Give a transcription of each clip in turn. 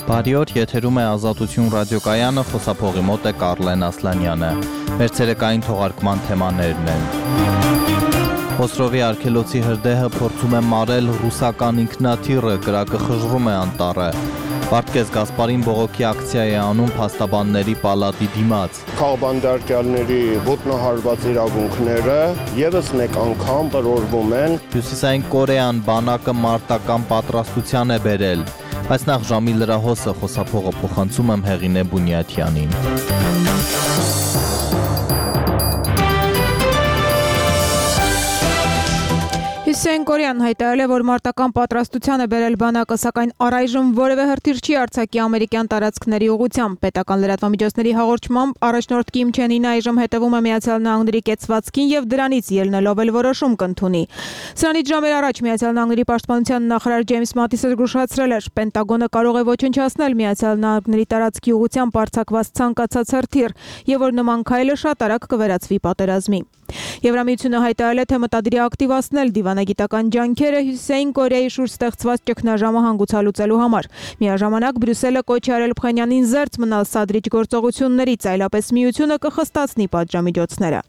Բարի օր, եթերում է Ազատություն ռադիոկայանը, խոսափողի մոտ է Կարլեն Ասլանյանը։ Մեր ցերեկային թողարկման թեմաներն են. Խոսրովի արգելոցի հրդեհը փորձում է մարել ռուսական ինքնաթիռը, կրակը խժռում է անտառը։ Վարդգես Գասպարին բողոքի ակցիա է անում փաստաբանների պալատի դիմաց։ Քաղբանդարկյալների ոտնահարված իրավունքները եւս մեկ անգամ տրորվում են։ Հյուսիսային Կորեան բանակը մարտական պատրաստության է բերել։ Այս նախ ժամի լրահոսը խոսափողը փոխանցում եմ Հեղինե Բունյաթյանին։ Հյուսիսային Կորեան հայտարարել է, որ մարտական պատրաստության է բերել բանակը, սակայն առայժմ որևէ հրթիռ չի արձակի ամերիկյան տարածքների ուղղությամբ։ Պետական լրատվամիջոցների հաղորդմամբ առաջնորդ Կիմ Չեն Ինը այժմ հետևում է Միացյալ Նահանգների կեցվածքին եւ դրանից ելնելով էլ որոշում կընդունի։ Սրանից ժամեր առաջ Միացյալ Նահանգների պաշտպանության նախարար Ջեյմս Մատիսը զգուշացրել էր, Պենտագոնը կարող է ոչնչացնել Միացյալ Նահանգների տարածքի ուղղությամբ արձակված ցանկացած հրթիռ եւ որ նման քայլը շատ արագ կվերածվի պատերազմի։ Եվրամիությունը հայտարարել է, թե մտադիր է ակտիվացնել դիվանագիտական ջանքերը Հյուսիսային Կորեայի շուրջ ստեղծված ճգնաժամը հանգուցալուծելու համար։ Միաժամանակ Բրյուսելը կոչ է արել Փխենյանին զերծ մնալ սադրիչ գործողություններից, այլապես միությունը կխստացնի պատժամիջոցները։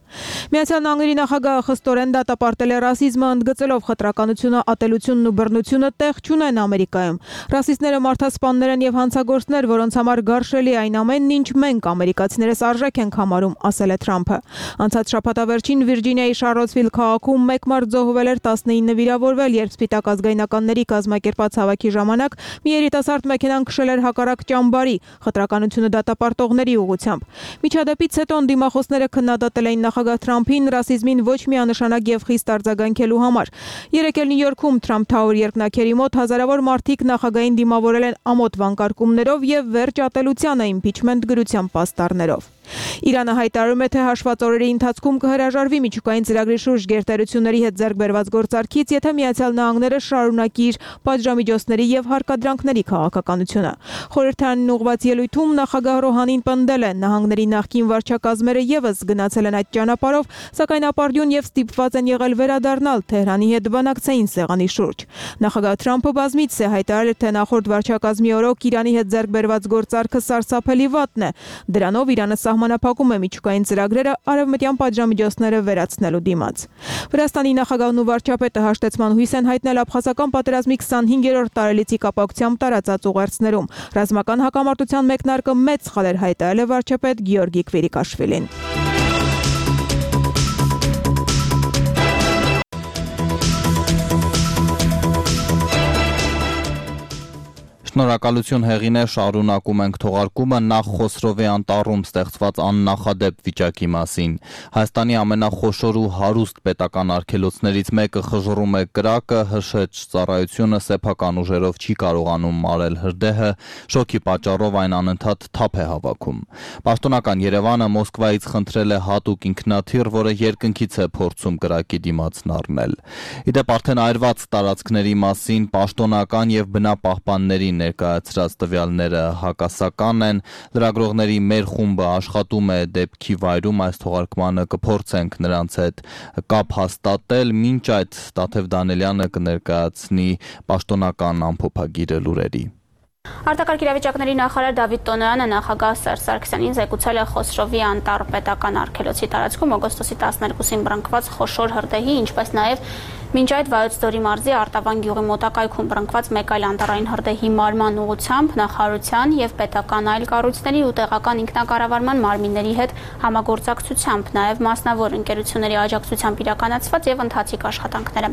Միացյալ Նահանգների նախագահը խստորեն դատապարտել է ռասիզմը, ընդգծելով խտրականությունը, ատելությունն ու բռնությունը տեղ չունեն Ամերիկայում։ Ռասիստները մարդասպաններ են եւ հանցագործներ, որոնց համար գարշելի այն ամենն, ինչ մենք ամերիկացիներս արժեք ենք համարում, ասել է Թրամփը։ Անցած շաբաթավերջին Վիրջինիայի Շարլոտսվիլ քաղաքում մեկ մարդ զոհվել էր, 19 վիրավորվել, երբ Սպիտակ ազգայնականների կազմակերպած հավաքի ժամանակ մի երիտասարդ մեքենան քշել էր հակառակ ճամբարի, խտրականությունը դատապարտողների ուղղությամբ։ Միջադեպից հետո դիմախոսները քննադատել էին նախագահ Թրամփին ռասիզմին ոչ միանշանակ եւ խիստ արձագանքելու համար։ Երեկ էլ Նյու Յորքում Թրամփ Թաուեր երկնաքերի մոտ հազարավոր մարդիկ նախագահին դիմավորել են ամոթ վանկարկումներով եւ վերջ ատելությանը իմպիչմենտ գրության պաստառներով։ Իրանը հայտարարում է, թե հաշված օրերի ընթացքում կհրաժարվի միջուկային ծրագրի շուրջ գերտերությունների հետ ձեռք բերված գործարքից, եթե Միացյալ Նահանգները շարունակի իր պատժամիջոցների եւ հարկադրանքների քաղաքականությունը։ Խորհրդարանին ուղղված ելույթում նախագահ Ռոհանին պնդել է, նահանգների նախկին վարչակազմերը եւս գնացել են այդ ճանապարհով, սակայն ապարդյուն եւ ստիպված են եղել վերադառնալ Թեհրանի հետ բանակցային սեղանի շուրջ։ Նախագահ Թրամփը բազմիցս է հայտարարել, թե նախորդ վարչակազմի օրոք Իրանի հետ ձեռք բերված գործարքը սարսափելի վատն է։ Դրանով Իրանը սահմանափակում է միջուկային ծրագրերը արևմտյան պատժամիջոցները վերացնելու դիմաց։ Վրաստանի նախագահն ու վարչապետը հաշտեցման հույս են հայտնել աբխազական պատերազմի 25-րդ տարելիցի կապակցությամբ տարածած ուղերձներում։ Ռազմական հակամարտության մեկնարկը մեծ սխալ էր հայտարարել է վարչապետ Գեորգի Քվիրիկաշվիլին։ Շնորհակալություն Հեղինե, շարունակում ենք թողարկումը նախ Խոսրովի անտառում ստեղծված աննախադեպ վիճակի մասին։ Հայաստանի ամենախոշոր ու հարուստ պետական արգելոցներից մեկը խժռում է կրակը, հրշեջ ծառայությունը սեփական ուժերով չի կարողանում մարել հրդեհը, շոկի պատճառով այն անընդհատ թափ է հավաքում։ Պաշտոնական Երևանը Մոսկվայից խնդրել է հատուկ ինքնաթիռ, որը երկնքից է փորձում կրակի դիմացն առնել։ Իդեպ արդեն այրված տարածքների մասին պաշտոնական եւ բնապահպանների ներկայացրած տվյալները հակասական են, լրագրողների մեր խումբը աշխատում է դեպքի վայրում, այս թողարկմանը կփորձենք նրանց հետ կապ հաստատել, մինչ այդ Տաթև Դանելյանը կներկայացնի պաշտոնական ամփոփագիրը լուրերի։ Արտակարգ իրավիճակների նախարար Դավիթ Տոնոյանը նախագահ Սերժ Սարգսյանին զեկուցել է Խոսրովի անտառ պետական արգելոցի տարածքում օգոստոսի 12-ին բռնկված խոշոր հրդեհի, ինչպես նաև մինչ այդ Վայոց ձորի մարզի Արտավան գյուղի մոտակայքում բռնկված մեկ այլ անտառային հրդեհի մարման ուղղությամբ նախարարության եւ պետական այլ կառույցների ու տեղական ինքնակառավարման մարմինների հետ համագործակցությամբ, նաև մասնավոր ընկերությունների աջակցությամբ իրականացված եւ ընթացիկ աշխատանքները։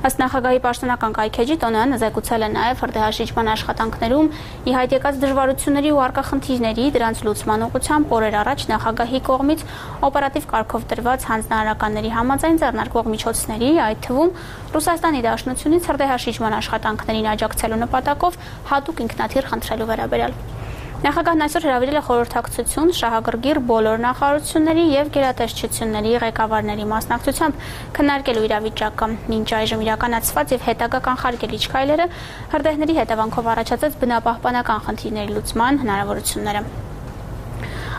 Ըստ նախագահի պաշտոնական կայքեջի Տոնոյանը զեկուցել է նաև հրդեհաշիջման աշխատանքներում ի հայտ եկած դժվարությունների ու առկա խնդիրների, դրանց լուծման ուղղությամբ օրեր առաջ նախագահի կողմից օպերատիվ կարգով տրված հանձնարարականների համաձայն ձեռնարկվող միջոցների, այդ թվում Ռուսաստանի Դաշնությունից հրդեհաշիջման աշխատանքներին աջակցելու նպատակով հատուկ ինքնաթիռ խնդրելու վերաբերյալ։ Նախագահն այսօր հրավիրել է խորհրդակցություն շահագրգիռ բոլոր նախարարությունների եւ գերատեսչությունների ղեկավարների մասնակցությամբ քննարկելու իրավիճակը, մինչ այժմ իրականացված եւ հետագա կանխարգելիչ քայլերը, հրդեհների հետևանքով առաջացած բնապահպանական խնդիրների լուծման հնարավորությունները։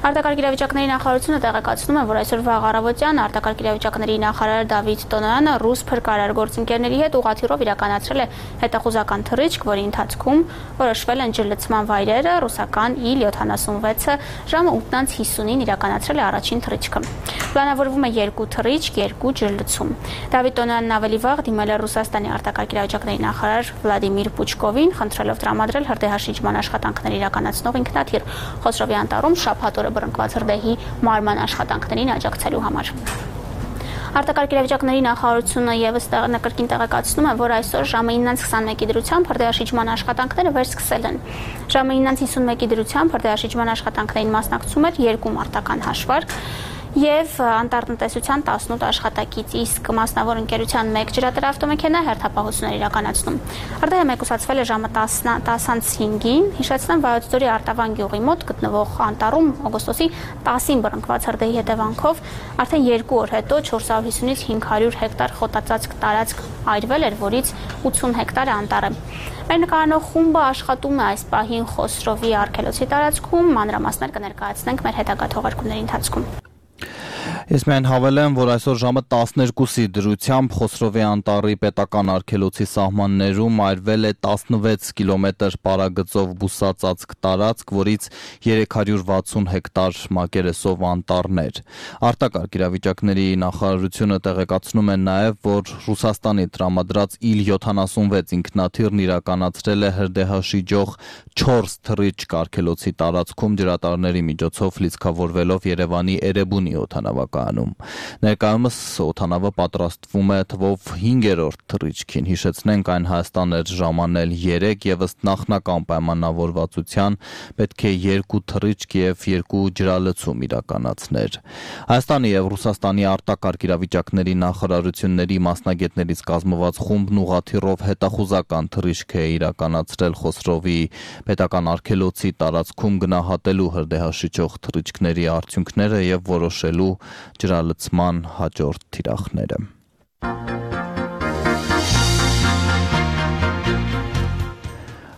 Արտակարգ իրավիճակների նախարարությունը տեղեկացնում է, որ այսօր վաղ առավոտյան արտակարգ իրավիճակների նախարար Դավիթ Տոնոյանը ռուս փրկարար գործընկերների հետ ուղղաթիռով իրականացրել է հետախուզական թռիչք, որի ընթացքում որոշվել են ջրլցման վայրերը, ռուսական Il-76-ը ժամը 8:50-ին իրականացրել է առաջին թռիչքը։ Պլանավորվում է 2 թռիչք, 2 ջրլցում։ Դավիթ Տոնոյանն ավելի վաղ դիմել է Ռուսաստանի արտակարգ իրավիճակների նախարար Վլադիմիր Պուչկովին, խնդրելով տրամադրել հրդեհաշիջման աշխատանքներ իրականացնող ինքնաթիռ Խոսրովի անտառում շաբաթ օրը բռնկված հրդեհի մարման աշխատանքներին աջակցելու համար։ Արտակարգ իրավիճակների նախարարությունը եւս կրկին տեղեկացնում է, որ այսօր ժամը 9:21-ի դրությամբ հրդեհաշիջման աշխատանքները վերսկսել են։ Ժամը 9:51-ի դրությամբ հրդեհաշիջման աշխատանքներին մասնակցում էր 2 մարտական հաշվարկ եւ անտառտնտեսության 18 աշխատակից, իսկ մասնավոր ընկերության 1 ջրատար-ավտոմեքենա հերթապահություններ իրականացնում։ Հրդեհը մեկուսացվել է ժամը 10:05-ին, հիշեցնեմ Վայոց ձորի Արտավան գյուղի մոտ գտնվող անտառում օգոստոսի 10-ին բռնկված հրդեհի հետևանքով արդեն 2 օր հետո 450-ից 500 հեկտար խոտածածկ տարածք այրվել էր, որից 80 հեկտարը անտառ է։ Մեր նկարանող խումբը աշխատում է այս պահին Խոսրովի արգելոցի տարածքում, մանրամասներ կներկայացնենք մեր հետագա թողարկումների ընթացքում։ Ես միայն հավելեմ, որ այսօր ժամը 12-ի դրությամբ Խոսրովի անտառի պետական արգելոցի սահմաններում այրվել է 16 կիլոմետր պարագծով բուսածածկ տարածք, որից 360 հեկտար մակերեսով անտառներ։ Արտակարգ իրավիճակների նախարարությունը տեղեկացնում է նաև, որ Ռուսաստանի տրամադրած Il-76 ինքնաթիռն իրականացրել է հրդեհաշիջող 4 թռիչք արգելոցի տարածքում ջրատարների միջոցով լիցքավորվելով Երևանի Էրեբունի օդանավակայանում։ Ներկայումս օդանավը պատրաստվում է թվով 5-րդ թռիչքին, հիշեցնենք այն Հայաստան էր ժամանել 3 եւ ըստ նախնական պայմանավորվածության պետք է 2 թռիչք եւ 2 ջրալցում իրականացներ։ Հայաստանի եւ Ռուսաստանի արտակարգ իրավիճակների նախարարությունների մասնագետներից կազմված խումբն ուղղաթիռով հետախուզական թռիչք է իրականացրել Խոսրովի պետական արգելոցի տարածքում գնահատելու հրդեհաշիջող թռիչքների արդյունքները եւ որոշելու ջրալցման հաջորդ թիրախները։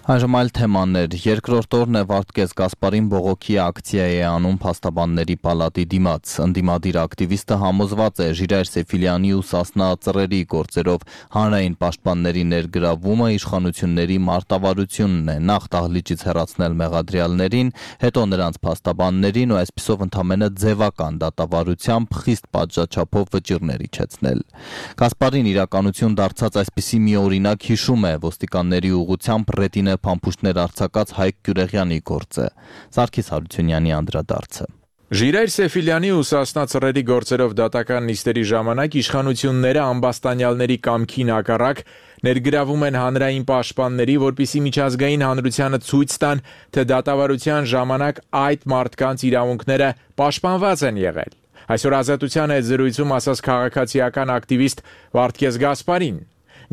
Այժմ այլ թեմաներ։ Երկրորդ օրն է Վարդգես Գասպարին բողոքի ակցիա է անում Փաստաբանների պալատի դիմաց։ Ընդդիմադիր ակտիվիստը համոզված է Ժիրայր Սեֆիլյանի ու Սասնա Ծռերի գործերով հանրային պաշտպանների ներգրավումը իշխանությունների մարտավարությունն է։ Նախ դահլիճից հեռացնել մեղադրյալներին, հետո նրանց փաստաբաններին ու այսպիսով ընդամենը ձևական դատավարությամբ խիստ պատժաչափով վճիռներ իջեցնել։ Գասպարին իրականություն դարձած այսպիսի մի օրինակ հիշում է ոստիկանների ուղղությամբ ռետինե փամփուշտներ արձակած Հայկ Գյուրեղյանի գործը։ Սարգիս Հարությունյանի անդրադարձը։ Ժիրայր Սեֆիլյանի ու Սասնա Ծռերի գործերով դատական նիստերի ժամանակ իշխանությունները ամբաստանյալների կամքին հակառակ ներգրավում են հանրային պաշտպանների, որպիսի միջազգային հանրությանը ցույց տան, թե դատավարության ժամանակ այդ մարդկանց իրավունքները պաշտպանված են եղել։ Այսօր Ազատության հետ զրույցում ասաց քաղաքացիական ակտիվիստ Վարդգես Գասպարին։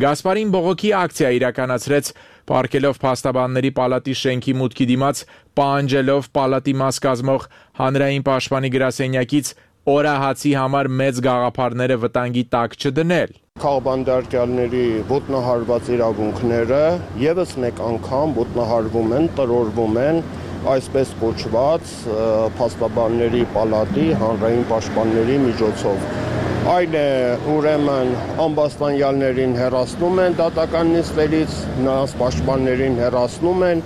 Գասպարին բողոքի ակցիա իրականացրեց պարգելով Փաստաբանների պալատի շենքի մուտքի դիմաց, պահանջելով պալատի մաս կազմող հանրային պաշտպանի գրասենյակից օրահացի համար մեծ գաղափարները վտանգի տակ չդնել։ Քաղաքբանտարկյալների ոտնահարված իրավունքները եւս մեկ անգամ ոտնահարվում են, տրորվում են այսպես կոչված Փաստաբանների պալատի հանրային պաշտպանների միջոցով։ Այլ է ուրեմն ամբաստանյալներին հեռացնում են դատական նիստերից, նրանց պաշտպաններին հեռացնում են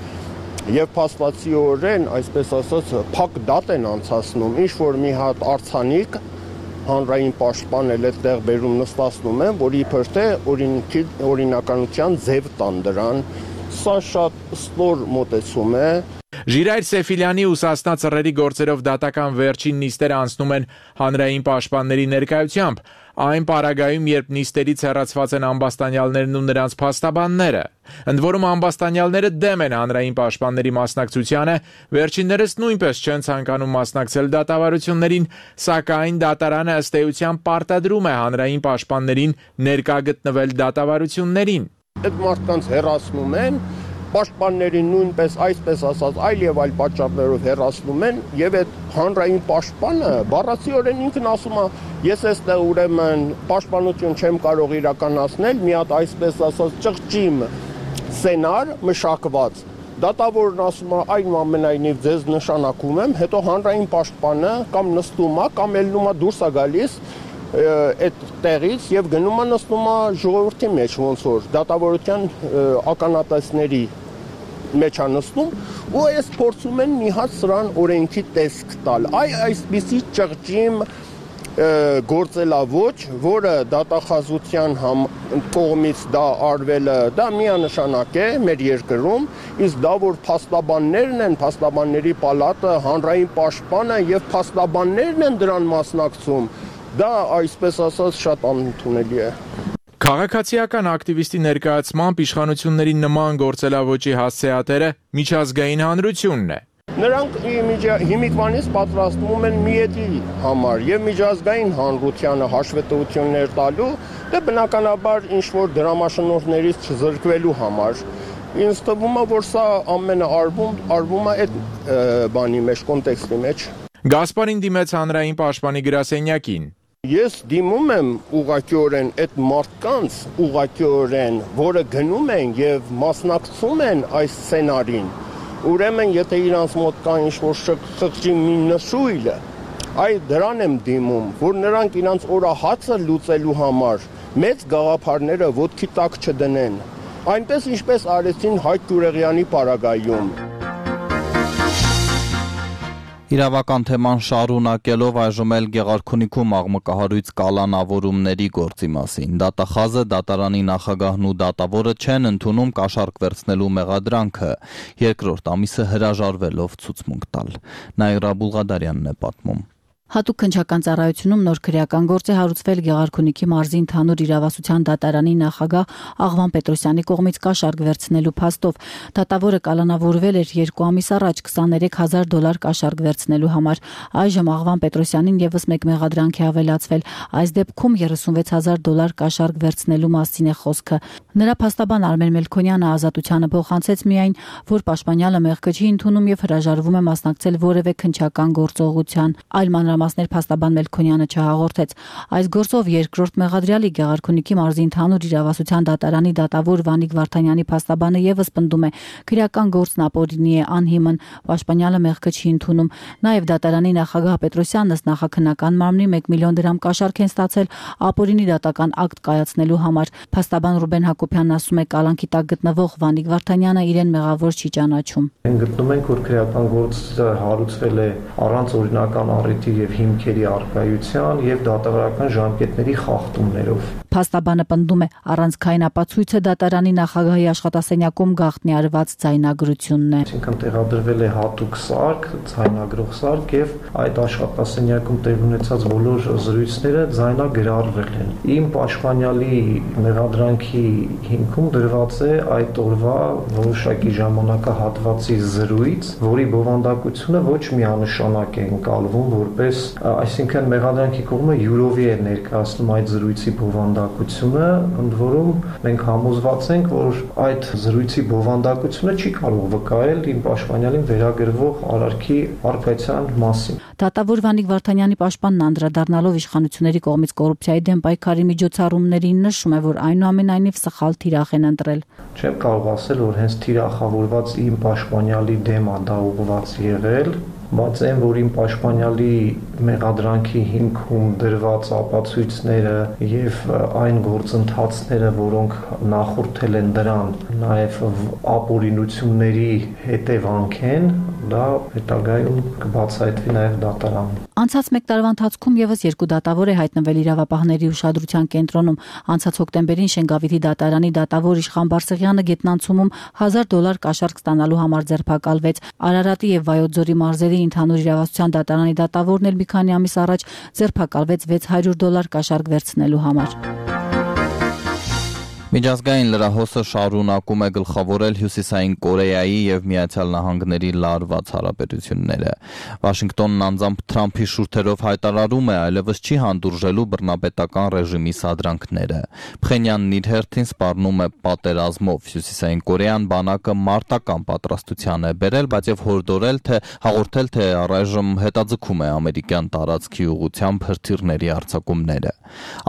եւ փաստացիորեն, այսպես ասած, փակ դատ են անցացնում, ինչ որ մի հատ արցանիկ հանրային պաշտպան էլ այդտեղ բերում նստացնում են, որ իբր թե օրինականության ձև տան դրան։ Սա շատ ստոր մոտեցում է։ Ժիրայր Սեֆիլյանի ու Սասնա Ծռերի գործերով դատական վերջին նիստերը անցնում են հանրային պաշտպանների ներկայությամբ, այն պարագայում, երբ նիստերից հեռացված են ամբաստանյալներն ու նրանց փաստաբանները։ Ընդ որում ամբաստանյալները դեմ են հանրային պաշտպանների մասնակցությանը, վերջիններս նույնպես չեն ցանկանում մասնակցել դատավարություններին, սակայն դատարանը ըստ էության պարտադրում է հանրային պաշտպաններին ներկա գտնվել դատավարություններին։ Այդ մարդկանց հեռացնում են, պաշտպաններին նույնպես այսպես ասած այլ եւ այլ պատճառներով հեռացնում են եւ այդ հանրային պաշտպանը բառացիորեն ինքն ասում է ես այստեղ ուրեմն պաշտպանություն չեմ կարող իրականացնել մի հատ այսպես ասած ճղճիմ սցենար մշակված Դատավորն ասում է այնուամենայնիվ ձեզ նշանակում եմ, հետո հանրային պաշտպանը կամ նստում է, կամ ելնում է դուրս է գալիս այդ տեղից եւ գնում է նստում է ժողովրդի մեջ, ոնց որ դատավորության ականատեսների մեջ է նստում, ու այս փորձում են մի հատ սրան օրենքի տեսք տալ։ Այսպիսի ճղճիմ գործելավոճ, որը դատախազության կողմից դա արվելը, դա միանշանակ է մեր երկրում, իսկ դա որ փաստաբաններն են, փաստաբանների պալատը, հանրային պաշտպանը եւ փաստաբաններն են դրան մասնակցում, դա այսպես ասած շատ անընդունելի է։ Քաղաքացիական ակտիվիստի ներկայացմամբ իշխանությունների նման գործելավոճի հասցեատերը միջազգային հանրությունն է։ Նրանք հիմիկվանից պատրաստվում են միետի համար եւ միջազգային հանրությանը հաշվետվություններ տալու, դե բնականաբար ինչ որ դրամաշնորհներից չզրկվելու համար։ Ինձ թվում է, որ սա ամենը արվում է այդ բանի մեջ, կոնտեքստի մեջ։ Գասպարին դիմեց հանրային պաշտպանի գրասենյակին։ Ես դիմում եմ ուղղակիորեն այդ մարդկանց, ուղղակիորեն, որը գնում են եւ մասնակցում են այս սցենարին։ Ուրեմն, եթե իրանց մոտ կա ինչ-որ խղճի մի նշույլ, դրան եմ դիմում, որ նրանք իրանց օրահացը լուծելու համար մեծ գաղափարները ոտքի տակ չդնեն, այնպես ինչպես արեցին Հայկ Գյուրեղյանի պարագայում։ Իրավական թեման շարունակելով այժմ էլ Գեղարքունիքում աղմկահարույց կալանավորումների գործի մասին։ Դատախազը, դատարանի նախագահն ու դատավորը չեն ընդունում կաշառք վերցնելու մեղադրանքը, երկրորդ ամիսը հրաժարվելով ցուցմունք տալ։ Նաիրա Բուլղադարյանն է պատմում։ Հատուկ քննչական ծառայությունում նոր քրեական գործ է հարուցվել Գեղարքունիքի մարզի ընդհանուր իրավասության դատարանի նախագահ Աղվան Պետրոսյանի կողմից կաշառք վերցնելու փաստով։ Դատավորը կալանավորվել էր 2 ամիս առաջ $20,000 կաշառք վերցնելու համար։ Այժմ Աղվան Պետրոսյանին եւս մեկ մեղադրանք է ավելացվել։ Այս դեպքում $36,000 կաշառք վերցնելու մասին է խոսքը։ Նրա փաստաբան Արմեն Մելքոնյանը ազատությանը փոխանցեց միայն, որ պաշտպանյալը մեղքը չի ընդունում եւ հրաժարվում է մասնակցել որևէ քննչական գործողության։ Այլ մանրամասներ փաստաբան Մելքոնյանը չհաղորդեց։ Այս գործով երկրորդ մեղադրյալի Գեղարքունիքի մարզի ընդհանուր իրավասության դատարանի դատավոր Վանիկ Վարդանյանի փաստաբանը եւս պնդում է, քրեական գործն ապօրինի է, անհիմն, պաշտպանյալը մեղքը չի ընդունում։ Նաեւ դատարանի նախագահ Պետրոսյանն ըստ նախաքննական մարմնի 1 միլիոն դրամ կաշառք են ստացել ապօրինի դատական ակտ կայացնելու համար։ Փաստաբան Ռուբեն Հակոբյանն ասում է, կալանքի տակ գտնվող Վանիկ Վարդանյանը իրեն մեղավոր չի ճանաչում։ Գտնում ենք, որ քրեական գործը հարուցվել է առանց օրինական առիթի եւ հիմքերի առկայության եւ դատավորական ժամկետների խախտումներով։ Փաստաբանը պնդում է, առանցքային ապացույցը դատարանի նախագահի աշխատասենյակում գաղտնի արված ձայնագրությունն է։ Այսինքն տեղադրվել է հատուկ սարք, ձայնագրող սարք եւ այդ աշխատասենյակում տեղ ունեցած բոլոր զրույցները ձայնագրարվել են։ Իմ պաշտպանյալի մեղադրանքի հիմքում դրված է այդ օրվա որոշակի ժամանակահատվածի զրույց, որի բովանդակությունը ոչ միանշանակ է ընկալվում որպես, այսինքն մեղադրանքի կողմը յուրովի է ներկայացնում այդ զրույցի բովանդակությունը, ընդ որում մենք համոզված ենք, որ այդ զրույցի բովանդակությունը չի կարող վկայել իմ պաշտպանյալին վերագրվող արարքի առկայության մասին։ Դատավոր Վանիկ Վարդանյանի պաշտպանն անդրադառնալով իշխանությունների կողմից կոռուպցիայի դեմ պայքարի միջոցառումներին նշում է, որ այնուամենայնիվ սխալ թիրախ են ընտրել։ Չեմ կարող ասել, որ հենց թիրախավորված իմ պաշտպանյալի դեմ է դա ուղղված եղել, բայց այն, որ իմ պաշտպանյալի մեղադրանքի հիմքում դրված ապացույցները եւ այն գործընթացները, որոնք նախորդել են դրան, նաեւ ապօրինությունների հետևանք են, դա հետագայում կբացահայտվի նաեւ դատարանում։ Անցած 1 տարվա ընթացքում եւս 2 դատավոր է հայտնվել իրավապահների ուշադրության կենտրոնում։ Անցած հոկտեմբերին Շենգավիթի դատարանի դատավոր Իշխան Բարսեղյանը գետնանցումում $1,000 կաշառք ստանալու համար ձերբակալվեց։ Արարատի եւ Վայոց ձորի մարզերի ընդհանուր իրավասության դատարանի դատավորն էլ մի քանի ամիս առաջ ձերբակալվեց $600 կաշառք վերցնելու համար։ Միջազգային լրահոսը շարունակում է գլխավորել Հյուսիսային Կորեայի եւ Միացյալ Նահանգների լարված հարաբերությունները։ Վաշինգտոնն անձամբ Թրամփի շուրթերով հայտարարում է այլևս չի հանդուրժելու բռնապետական ռեժիմի սադրանքները։ Փխենյանն իր հերթին սպառնում է պատերազմով։ Հյուսիսային Կորեան բանակը մարտական պատրաստության է բերել, բայց եւ հաղորդել, թե առայժմ հետաձգում է ամերիկյան տարածքի ուղղությամբ հրթիռների արձակումները։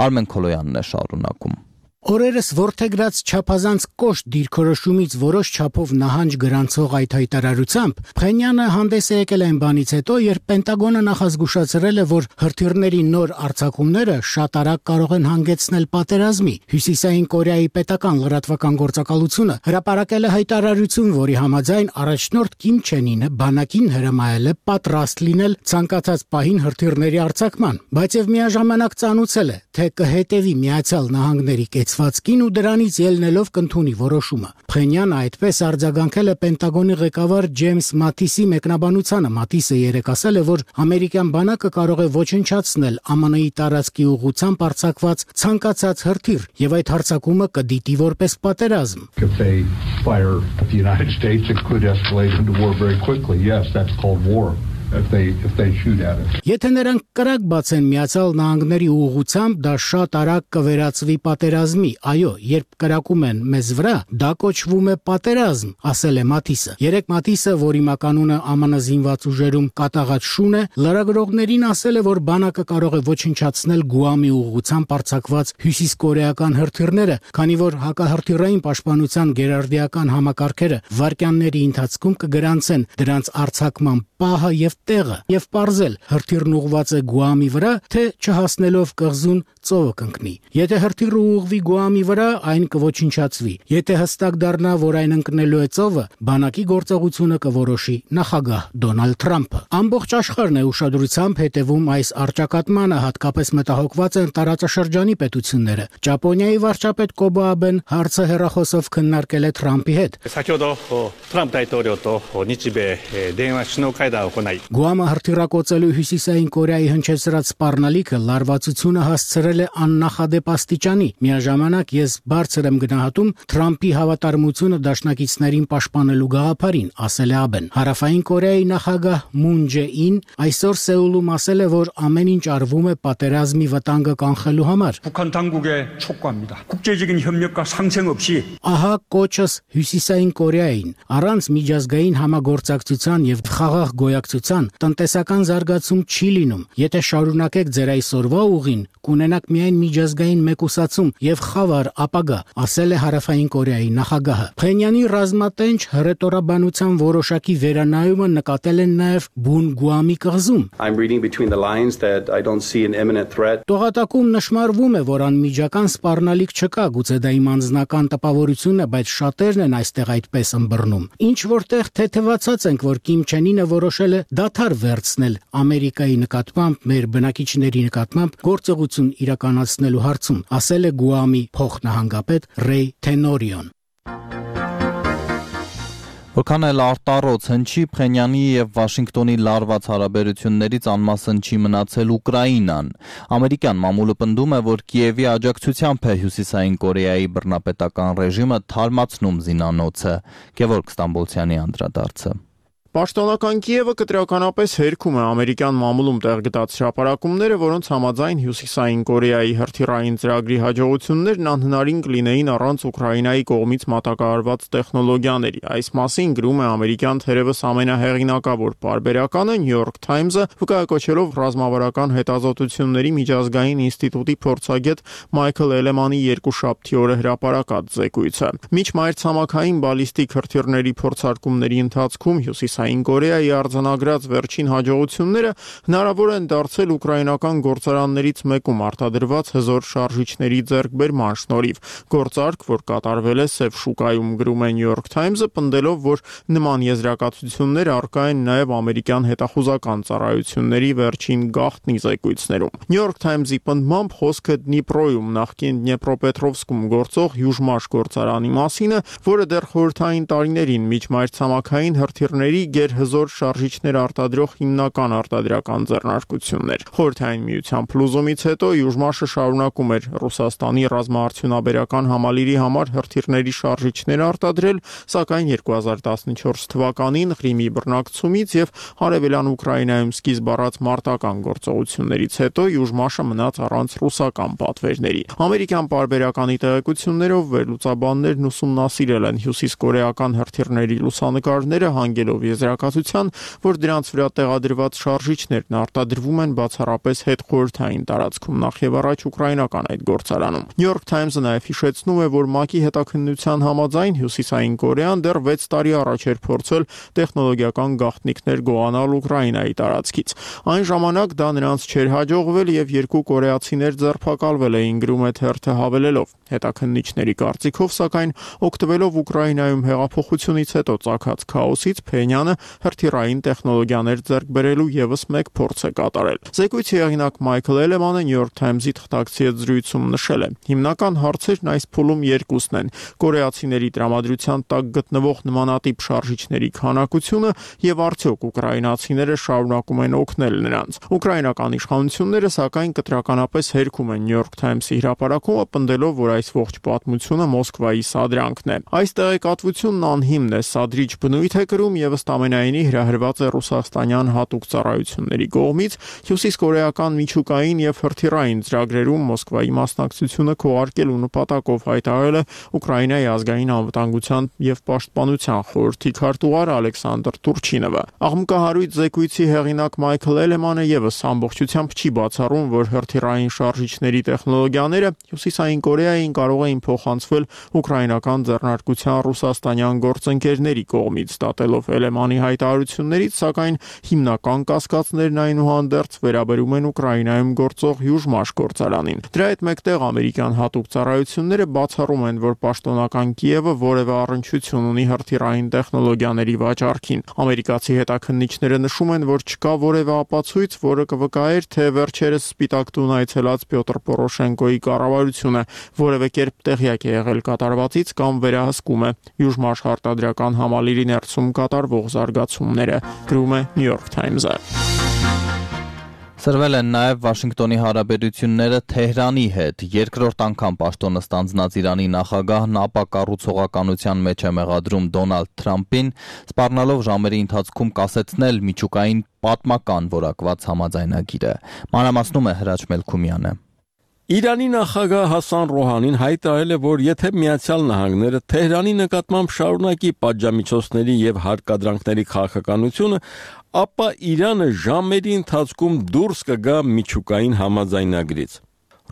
Արմեն Քոլոյանն է շարունակում։ Օրերս ворթեգրած չափազանց կոշտ դիրքորոշումից որոշ չափով նահանջ գրանցող այդ հայտարարությամբ Փենյանը հանդես է եկել այն բանից հետո, երբ Պենտագոնը նախազգուշացրել է, որ հրթիռների նոր արձակումները շատ արագ կարող են հանգեցնել պատերազմի։ Հյուսիսային Կորեայի պետական լրատվական գործակալությունը հրապարակել է հայտարարություն, որի համաձայն առաջնորդ Կիմ Չեն Ինը բանակին հրամայել է պատրաստ լինել ցանկացած պահին հրթիռների արձակման, բայց եւ միաժամանակ ծանուցել է, թե կհետևի Միացյալ Նահանգների կեցվածքին ու դրանից ելնելով կընդունի որոշումը։ Փենյանը այդպես արձագանքել է Պենտագոնի ղեկավար Ջեյմս Մաթիսի մեկնաբանությանը։ Մաթիսը երեկ ասել է, որ ամերիկյան բանակը կարող է ոչնչացնել ԱՄՆ-ի տարածքի ուղղությամբ արձակված ցանկացած հրթիռ եւ այդ հարձակումը կդիտի որպես պատերազմ։ If they fire at the United States, it could escalate into war very quickly. Yes, that's called war. If they shoot at it. Եթե նրանք կրակ բացեն Միացյալ Նահանգների ուղղությամբ, դա շատ արագ կվերածվի պատերազմի։ Այո, երբ կրակում են մեզ վրա, դա կոչվում է պատերազմ, ասել է Մաթիսը։ Երեք Մաթիսը, որի մականունը ԱՄՆ զինված ուժերում կատաղած շուն է, լրագրողներին ասել է, որ բանակը կարող է ոչնչացնել Գուամի ուղղությամբ արձակված հյուսիսկորեական հրթիռները, քանի որ հակահրթիռային պաշտպանության գերարդիական համակարգերը վայրկյանների ընթացքում կգրանցեն դրանց արձակման պահը եւ տեղը եւ պարզել հրթիռն ուղված է Գուամի վրա, թե չհասնելով կղզուն ծովը կընկնի։ Եթե հրթիռը ուղղվի Գուամի վրա, այն կոչնչացվի։ Եթե հստակ դառնա, որ այն ընկնելու է ծովը, բանակի գործողությունը կորոշի նախագահ Դոնալդ Թրամփը։ Ամբողջ աշխարհն է ուշադրությամբ հետևում այս առճակատմանը, հատկապես մտահոգված են տարածաշրջանի պետությունները։ Ճապոնիայի վարչապետ Կոբո Աբեն հարցը հեռախոսով քննարկել է Թրամփի հետ։ Գուամը հրթիռակոծելու Հյուսիսային Կորեայի հնչեցրած սպառնալիքը լարվածությունը հասցրել է աննախադեպ աստիճանի։ Միաժամանակ ես բարձր եմ գնահատում Թրամփի հավատարմությունը դաշնակիցներին պաշտպանելու գաղափարին, ասել է Աբեն։ Հարավային Կորեայի նախագահ Մուն Ջե-ին այսօր Սեուլում ասել է, որ ամեն ինչ արվում է պատերազմի վտանգը կանխելու համար։ Ահա կոչս Հյուսիսային Կորեային առանց միջազգային համագործակցության եւ խաղաղ գոյակցության տնտեսական զարգացում չի լինում։ Եթե շարունակեք ձեր այսօրվա ուղին, կունենաք միայն միջազգային մեկուսացում եւ խավար ապագա, ասել է Հարավային Կորեայի նախագահը։ Փենյանի ռազմատենչ հռետորաբանության որոշակի վերանայումը նկատել են նաեւ Բուն Գուամի կղզում։ Տողատակում նշмарվում է, որ անմիջական սպառնալիք չկա, գուցե դա իմ անձնական տպավորությունն է, բայց շատերն են այստեղ այդպես ըմբռնում։ Ինչ որտեղ թեթևացած ենք, որ Կիմ Չեն Ինը որոշել է դադար վերցնել Ամերիկայի նկատմամբ, մեր բնակիչների նկատմամբ գործողություն իրականացնելու հարցում, ասել է Գուամի փոխնահանգապետ Ռեյ Թենորիոն։ Որքան էլ արտառոց հնչի, Փենյանի եւ Վաշինգտոնի լարված հարաբերություններից անմասն չի մնացել Ուկրաինան։ Ամերիկյան մամուլը պնդում է, որ Կիևի աջակցությամբ է Հյուսիսային Կորեայի բռնապետական ռեժիմը թարմացնում զինանոցը։ Գևորգ Ստամբոլցյանի անդրադարձը։ Պաշտոնական Կիևը կտրականապես հերքում է ամերիկյան մամուլում տեղգտած հրապարակումները, որոնց համաձայն Հյուսիսային Կորեայի հրթիռային ծրագրի հաջողություններն անհնարին կլինեին առանց Ուկրաինայի կողմից մատակարարված տեխնոլոգիաների։ Այս մասին գրում է ամերիկյան թերևս ամենահեղինակավոր պարբերականը New York Times-ը, վկայակոչելով ռազմավարական հետազոտությունների միջազգային ինստիտուտի փորձագետ Մայքլ Էլեմանի երկուշաբթի օրը հրապարակած զեկույցը։ Միջմայրցամաքային բալիստիկ հրթիռների փորձարկումների ընթացքում Հյուսիսային Կորեայի արձանագրած վերջին հաջողությունները հնարավոր են դարձել ուկրաինական գործարաններից մեկում արտադրված հզոր շարժիչների ձեռքբերման շնորհիվ։ Գործարք, որ կատարվել է Սև շուկայում, գրում է New York Times-ը, պնդելով, որ նման եզրակացություններ առկա են նաև ամերիկյան հետախուզական ծառայությունների վերջին գաղտնի զեկույցներում։ New York Times-ի պնդմամբ խոսքը Դնիպրոյում, նախկին Դնեպրոպետրովսկում գործող Յուժմաշ գործարանի մասին է, որը դեռ խորհրդային տարիներին միջմայրցամաքային հրթիռների գերհզոր շարժիչներ արտադրող հիմնական արտադրական ձեռնարկությունն էր։ Խորհրդային միության փլուզումից հետո Յուժմաշը շարունակում էր Ռուսաստանի ռազմաարդյունաբերական համալիրի համար հրթիռների շարժիչներ արտադրել, սակայն 2014 թվականին Ղրիմի բռնակցումից եւ Արևելյան Ուկրաինայում սկիզբ առած մարտական գործողություններից հետո Յուժմաշը մնաց առանց ռուսական պատվերների։ Ամերիկյան պարբերականի տեղեկություններով վերլուծաբաններն ուսումնասիրել են հյուսիսկորեական հրթիռների լուսանկարները, հանգելով եզրակացության, որ դրանց վրա տեղադրված շարժիչներն արտադրվում են բացառապես հետխորհրդային տարածքում, նախ եւ առաջ ուկրաինական այդ գործարանում։ New York Times-ը նաև հիշեցնում է, որ ՄԱԿ-ի հետաքննության համաձայն Հյուսիսային Կորեան դեռ 6 տարի առաջ էր փորձել տեխնոլոգիական գաղտնիքներ գողանալ Ուկրաինայի տարածքից։ Այն ժամանակ դա նրանց չէր հաջողվել եւ երկու կորեացիներ ձերբակալվել էին, գրում է թերթը հավելելով. Հետաքննիչների կարծիքով, սակայն, օգտվելով Ուկրաինայում հեղափոխությունից հետո ծագած քաոսից, Փենյանը հրթիռային տեխնոլոգիաներ ձեռք բերելու եւս մեկ փորձ է կատարել։ Զեկույցի հեղինակ Մայքլ Էլեմանը New York Times-ի թղթակցի հետ զրույցում նշել է. հիմնական հարցերն այս փուլում երկուսն են՝ կորեացիների տրամադրության տակ գտնվող նմանատիպ շարժիչների քանակությունը եւ արդյոք ուկրաինացիները շարունակում են օգնել նրանց։ Ուկրաինական իշխանությունները սակայն կտրականապես հերքում են New York Times-ի հրապարակումը, պնդելով, որ այս ողջ պատմությունը Մոսկվայի սադրանքն է։ Այս տեղեկատվությունն անհիմն է, սադրիչ բնույթ է կրում եւ ըստ ամենայնի հրահրված է ռուսաստանյան հատուկ ծառայությունների կողմից հյուսիսկորեական միջուկային եւ հրթիռային ծրագրերում Մոսկվայի մասնակցությունը քողարկելու նպատակով, հայտարարել է Ուկրաինայի ազգային անվտանգության եւ պաշտպանության խորհրդի քարտուղար Ալեքսանդր Տուրչինովը։ Աղմկահարույց զեկույցի հեղինակ Մայքլ Էլեմանը եւս ամբողջությամբ չի բացառում, որ հրթիռային շարժիչների տեխնոլոգիաները Հյուսիսային Կորեային կարող էին փոխանցվել ուկրաինական ձեռնարկության ռուսաստանյան գործընկերների կողմից, դատելով Էլեմանի հայտարարություններից, սակայն հիմնական կասկածներն այնուհանդերձ վերաբերում են Ուկրաինայում գործող Հյուժմաշ գործարանին։ Դրա հետ մեկտեղ ամերիկյան հատուկ ծառայությունները բացառում են, որ պաշտոնական Կիևը որևէ առնչություն ունի հրթիռային տեխնոլոգիաների վաճառքին։ Ամերիկացի հետաքննիչները նշում են, որ չկա որևէ ապացույց, որը կվկայեր, թե վերջերս Սպիտակ տուն այցելած Պյոտր Պորոշենկոյի կառավարությունը որևէ կերպ տեղյակ է եղել կատարվածից կամ վերահսկում է Հյուժմաշ արտադրական համալիրի ներսում կատարվող զարգացումները, գրում է New York Times-ը։ Սրվել են նաև Վաշինգտոնի հարաբերությունները Թեհրանի հետ։ Երկրորդ անգամ պաշտոնը ստանձնած Իրանի նախագահն ապակառուցողականության մեջ է մեղադրում Դոնալդ Թրամփին, սպառնալով ժամերի ընթացքում կասեցնել միջուկային պատմական որակված համաձայնագիրը։ Մանրամասնում է Հրաչ Մելքումյանը։ Իրանի նախագահ Հասան Ռոհանին հայտարարել է, որ եթե Միացյալ Նահանգները Թեհրանի նկատմամբ շարունակի պատժամիջոցների եւ հարկադրանքների քաղաքականությունը, ապա Իրանը ժամերի ընթացքում դուրս կգա միջուկային համաձայնագրից։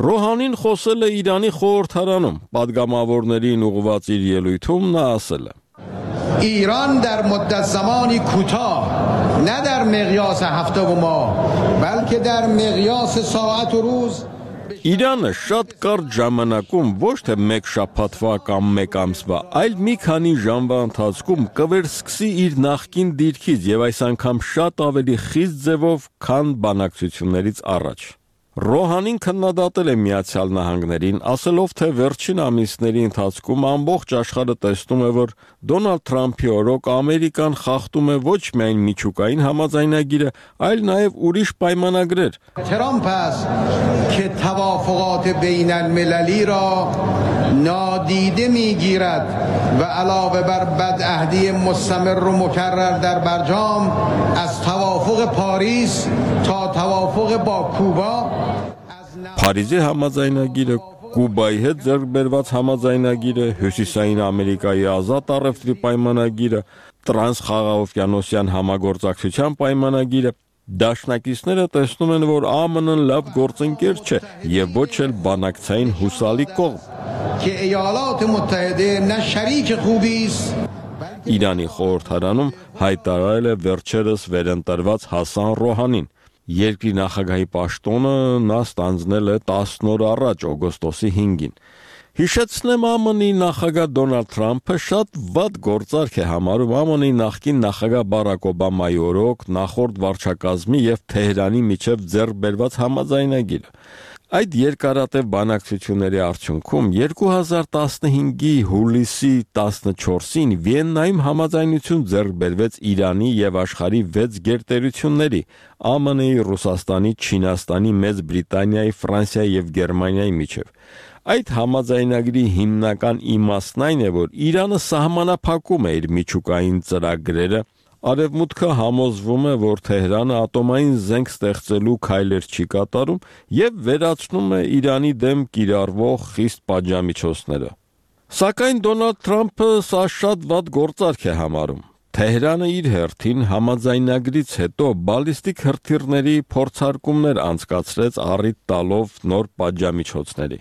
Ռոհանին խոսել է Իրանի խորհրդարանում, պատգամավորներին ուղղված իր ելույթում նա ասել է. ایران در مدت زمانی کوتاه نه در مقیاس هفته و ماه بلکه در مقیاس ساعت و روز Իրանը շատ կարճ ժամանակում ոչ թե մեկ շաբաթվա կամ մեկ ամսվա, այլ մի քանի ժամվա ընթացքում կվերսկսի իր նախկին դիրքից եւ այս անգամ շատ ավելի խիստ ձևով, քան բանակցություններից առաջ։ Ռոհանին քննադատել է Միացյալ Նահանգներին, ասելով, թե վերջին ամիսների ընթացքում ամբողջ աշխարհը տեսնում է, որ Դոնալդ Թրամփի օրոք Ամերիկան խախտում է ոչ միայն միջուկային համաձայնագիրը, այլ նաև ուրիշ պայմանագրեր։ Թրամփ است که توافقات بین المللی را نادیده میگیرد و علاوه بر بدعهدی مستمر و مکرر در برجام از توافق پاریس تا توافق با کوبا Փարիզի համաձայնագիրը, Կուբայի հետ ձեռք բերված համաձայնագիրը, Հյուսիսային Ամերիկայի ազատ առևտրի պայմանագիրը, տրանսխաղաղօվկիանոսյան համագործակցության պայմանագիրը, դաշնակիցները տեսնում են, որ ԱՄՆ-ն լավ գործընկեր չէ եւ ոչ էլ բանակցային հուսալի կողմ։ Իրանի խորհրդարանում հայտարարել է վերջերս վերընտրված Հասան Ռոհանին։ Երկրի նախագահի պաշտոնը նա ստանձնել է 10 օր առաջ, օգոստոսի 5-ին։ Հիշեցնեմ, ԱՄՆ-ի նախագահ Դոնալդ Թրամփը շատ վատ գործարք է համարում ԱՄՆ-ի նախկին նախագահ Բարակ Օբամայի օրոք նախորդ վարչակազմի եւ Թեհրանի միջև ձեռք բերված համաձայնագիրը։ Այդ երկարատև բանակցությունների արդյունքում 2015-ի հուլիսի 14-ին Վիեննայում համաձայնություն ձեռք բերվեց Իրանի եւ աշխարհի 6 գերտերությունների՝ ԱՄՆ-ի, Ռուսաստանի, Չինաստանի, Մեծ Բրիտանիայի, Ֆրանսիայի եւ Գերմանիայի միջև։ Այդ համաձայնագրի հիմնական իմաստն այն է, որ Իրանը սահմանափակում է իր միջուկային ծրագրերը, Արևմուտքը համոզվում է, որ Թեհրանը ատոմային զենք ստեղծելու քայլեր չի կատարում եւ վերացնում է Իրանի դեմ կիրառվող խիստ պատժամիջոցները։ Սակայն Դոնալդ Թրամփը սա շատ վատ գործարք է համարում։ Թեհրանը իր հերթին համաձայնագրից հետո բալիստիկ հրթիռների փորձարկումներ անցկացրեց առիթ տալով նոր պատժամիջոցների։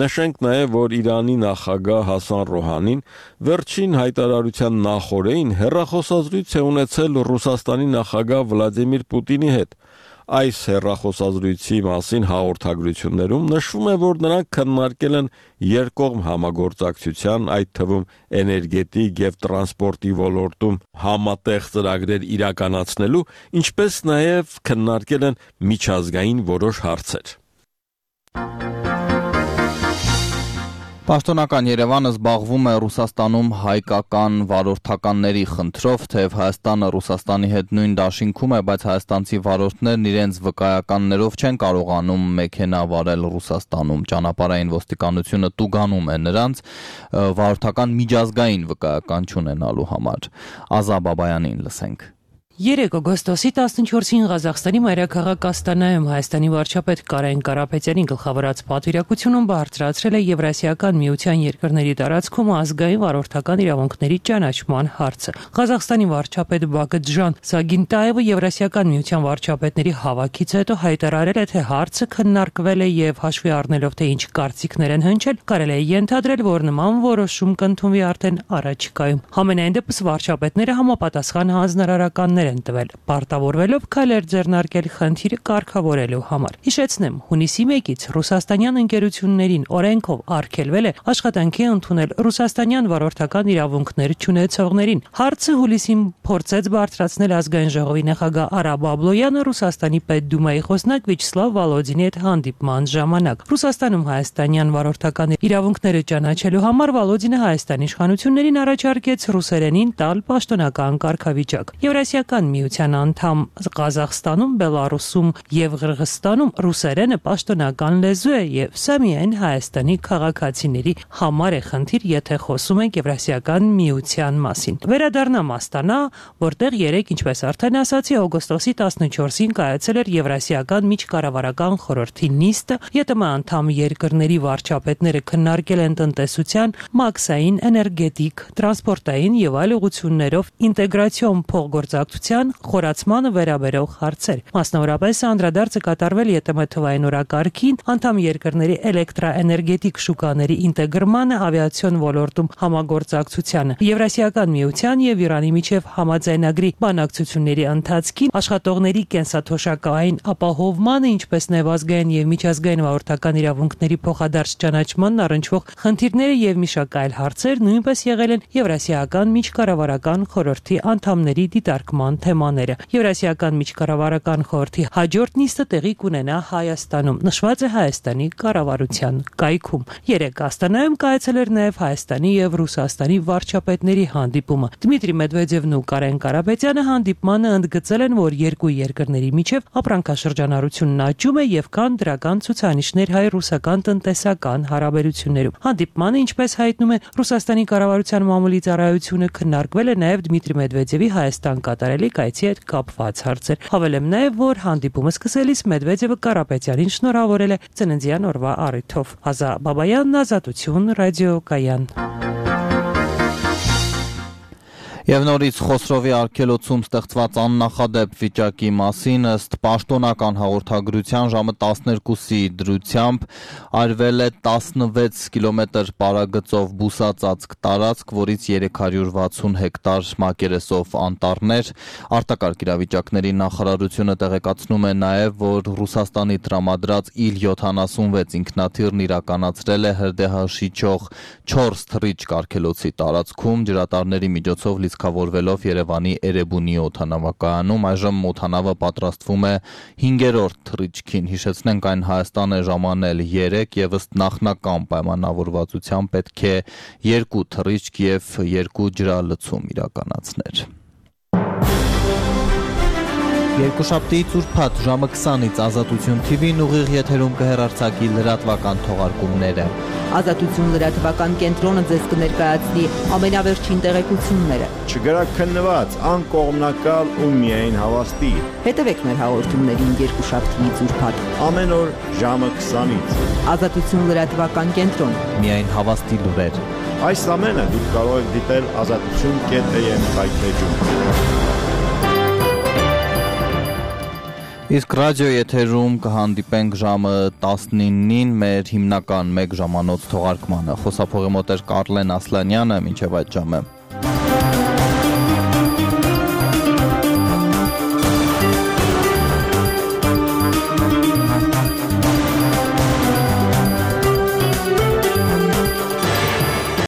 Նշենք նաև, որ Իրանի նախագահ Հասան Ռոհանին վերջին հայտարարության նախօրեին հեռախոսազրույց է ունեցել Ռուսաստանի նախագահ Վլադիմիր Պուտինի հետ։ Այս հեռախոսազրույցի մասին հաղորդագրություններում նշվում է, որ նրանք քննարկել են երկկողմ համագործակցության, այդ թվում էներգետիկ եւ տրանսպորտի ոլորտում համատեղ ծրագրեր իրականացնելու, ինչպես նաև քննարկել են միջազգային որոշ հարցեր։ Պաշտոնական Երևանը զբաղվում է Ռուսաստանում հայկական վարորդականների խնդրով, թեև Հայաստանը Ռուսաստանի հետ նույն դաշինքում է, բայց հայաստանցի վարորդներն իրենց վկայականներով չեն կարողանում մեքենա վարել Ռուսաստանում։ Ճանապարհային ոստիկանությունը տուգանում է նրանց վարորդական միջազգային վկայական չունենալու համար։ Ազա Բաբայանին լսենք։ 3 օգոստոսի 14-ին Ղազախստանի մայրաքաղաք Աստանայում Հայաստանի վարչապետ Կարեն Կարապետյանի գլխավորած պատվիրակությունում բարձրացրել է Եվրասիական միության երկրների տարածքում ազգային վարորդական իրավունքների ճանաչման հարցը։ Ղազախստանի վարչապետ Բակытժան Սագինտաևը Եվրասիական միության վարչապետների հավաքից հետո հայտարարել է, թե հարցը քննարկվել է եւ հաշվի առնելով, թե ինչ կարծիքներ են հնչել, կարելի է ենթադրել, որ նման որոշում կընդունվի արդեն առաջիկայում։ Համենայն դեպս վարչապետները համապատասխան հանձնարարականներ են տվել, պարտավորվելով քայլեր ձեռնարկել խնդիրը կարգավորելու համար։ Հիշեցնեմ, հունիսի 1-ից ռուսաստանյան ընկերություններին օրենքով արգելվել է աշխատանքի ընդունել ռուսաստանյան վարորդական իրավունքներ չունեցողներին։ Հարցը հուլիսին փորձեց բարձրացնել ազգային ժողովի նախագահ Արա Բաբլոյանը Ռուսաստանի պետդումայի խոսնակ Վիաչսլավ Վոլոդինի հետ հանդիպման ժամանակ։ Ռուսաստանում հայաստանյան վարորդական իրավունքները ճանաչելու համար Վոլոդինը Հայաստանի իշխանություններին առաջարկեց ռուսերենին տալ պաշտոնական կարգավիճակ։ Եվրասիական միության անդամ Ղազախստանում, Բելարուսում եւ Ղրղստանում ռուսերենը պաշտոնական լեզու է եւ սա միայն Հայաստանի քաղաքացիների համար է խնդիր, եթե խոսում ենք Եվրասիական միության մասին։ Վերադառնամ Աստանա, որտեղ 3, ինչպես արդեն ասացի, օգոստոսի 14-ին կայացել էր Եվրասիական միջկառավարական խորհրդի նիստը, ԵՏՄ անդամ երկրների վարչապետները քննարկել են տնտեսության, մաքսային, էներգետիկ, տրանսպորտային եւ այլ ուղղություններով ինտեգրացիոն փոխգործակցության խորացմանը վերաբերող հարցեր։ Մասնավորապես անդրադարձը կատարվել ԵՏՄ թվային օրակարգին, անդամ երկրների էլեկտրաէներգետիկ շուկաների ինտեգրմանը, ավիացիոն ոլորտում համագործակցությանը, Եվրասիական միության եւ Իրանի միջև համաձայնագրի բանակցությունների ընթացքին, աշխատողների կենսաթոշակային ապահովմանը, ինչպես նաեւ ազգային եւ միջազգային վարորդական իրավունքների փոխադարձ ճանաչմանն առնչվող խնդիրները եւ մի շարք այլ հարցեր նույնպես եղել են Եվրասիական միջկառավարական խորհրդի անդամների դիտարկման թեմաները։ Եվրասիական միջկառավարական խորհրդի հաջորդ նիստը տեղի կունենա Հայաստանում, նշված է Հայաստանի կառավարության կայքում։ 3 Աստանայում կայացել էր նաև Հայաստանի եւ Ռուսաստանի վարչապետների հանդիպումը։ Դմիտրի Մեդվեդևն ու Կարեն Կարապետյանը հանդիպմանը ընդգծել են, որ երկու երկրների միջև ապրանքաշրջանառությունն աճում է եւ կան դրական ցուցանիշներ հայ-ռուսական տնտեսական հարաբերություններում։ Հանդիպմանը, ինչպես հայտնում է Ռուսաստանի կառավարության մամուլի ծառայությունը, քննարկվել է նաև Դմիտրի Մեդվեդևի Հայաստան կատարելիք այցի հետ կապված հարցեր։ Հավելեմ նաև, որ հանդիպումը սկսելիս Մեդվեդևը Կարապետյանին շնորհավորել է ծննդյան օրվա առիթով։ Ազա Բաբայան, Ազատություն, ռադիոկայան։ Եվ նորից Խոսրովի արգելոցում ստեղծված աննախադեպ վիճակի մասին ըստ պաշտոնական հաղորդագրության ժամը 12-ի դրությամբ արվել է 16 կիլոմետր պարագծով բուսածածկ տարածք, որից 360 հեկտար մակերեսով անտառներ։ Արտակարգ իրավիճակների նախարարությունը տեղեկացնում է նաև, որ Ռուսաստանի տրամադրած Il-76 ինքնաթիռն իրականացրել է հրդեհաշիչող 4 թռիչք արգելոցի տարածքում, ջրատարների միջոցով լիցքավորվելով Երևանի Էրեբունի օդանավակայանում։ Այժմ օդանավը պատրաստվում է 5-րդ թռիչքին։ Հիշեցնենք, այն Հայաստան է ժամանել 3 եւ ըստ նախնական պայմանավորվածության պետք է 2 թռիչք եւ 2 ջրալցում իրականացներ։ Երկուշաբթիից ուրբաթ ժամը 20-ից Ազատություն TV-ն ուղիղ եթերում կհեռարձակի լրատվական թողարկումները։ Ազատություն լրատվական կենտրոնը ձեզ կներկայացնի ամենավերջին տեղեկությունները։ Չգրաքննված, անկողմնակալ ու միայն հավաստի։ Հետևեք մեր հաղորդումներին երկուշաբթիից ուրբաթ։ Ամեն օր ժամը 20-ից։ Ազատություն լրատվական կենտրոն։ Միայն հավաստի լուրեր։ Այս ամենը դուք կարող եք դիտել azatutun.am հայտնեջում։ Իսկ ռադիո եթերում կհանդիպենք ժամը 19-ին մեր հիմնական 1 ժամանոց թողարկմանը։ Խոսափողի մոտ էր Կարլեն Ասլանյանը, մինչև այդ ժամը